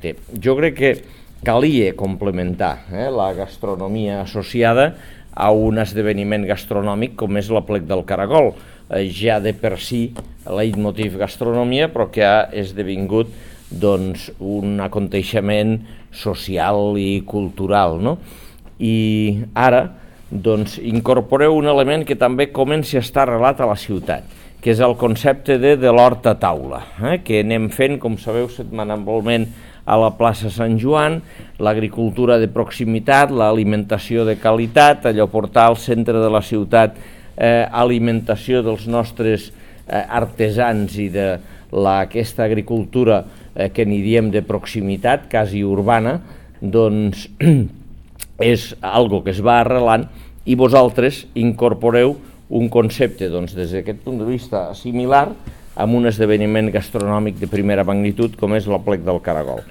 aspecte. Jo crec que calia complementar la gastronomia associada a un esdeveniment gastronòmic com és l'Aplec del Caragol. Ja de per si leitmotiv gastronomia, però que ha esdevingut un aconteixement social i cultural, no? I ara incorporeu un element que també comença a estar arrelat a la ciutat, que és el concepte de l'hort a taula, que anem fent, com sabeu, setmanalment a la plaça Sant Joan, l'agricultura de proximitat, l'alimentació de qualitat, allò portar al centre de la ciutat alimentació dels nostres artesans i d'aquesta agricultura que n'hi diem de proximitat, quasi urbana, doncs és algo que es va arrelant i vosaltres incorporeu un concepte, des d'aquest punt de vista similar, amb un esdeveniment gastronòmic de primera magnitud com és l'Aplec del Caragol.